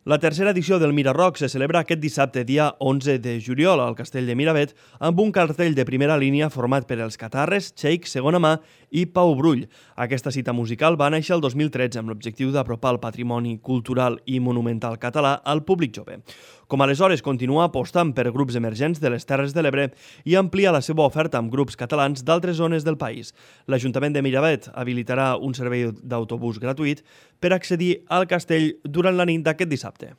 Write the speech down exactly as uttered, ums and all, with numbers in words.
La tercera edició del Mirarock se celebra aquest dissabte, dia onze de juliol, al Castell de Miravet, amb un cartell de primera línia format per els Catarres, Cheik, Segona Mà i Pau Brull. Aquesta cita musical va néixer el dos mil tretze amb l'objectiu d'apropar el patrimoni cultural i monumental català al públic jove. Com aleshores continua apostant per grups emergents de les Terres de l'Ebre i amplia la seva oferta amb grups catalans d'altres zones del país. L'Ajuntament de Miravet habilitarà un servei d'autobús gratuït per accedir al castell durant la nit d'aquest dissabte.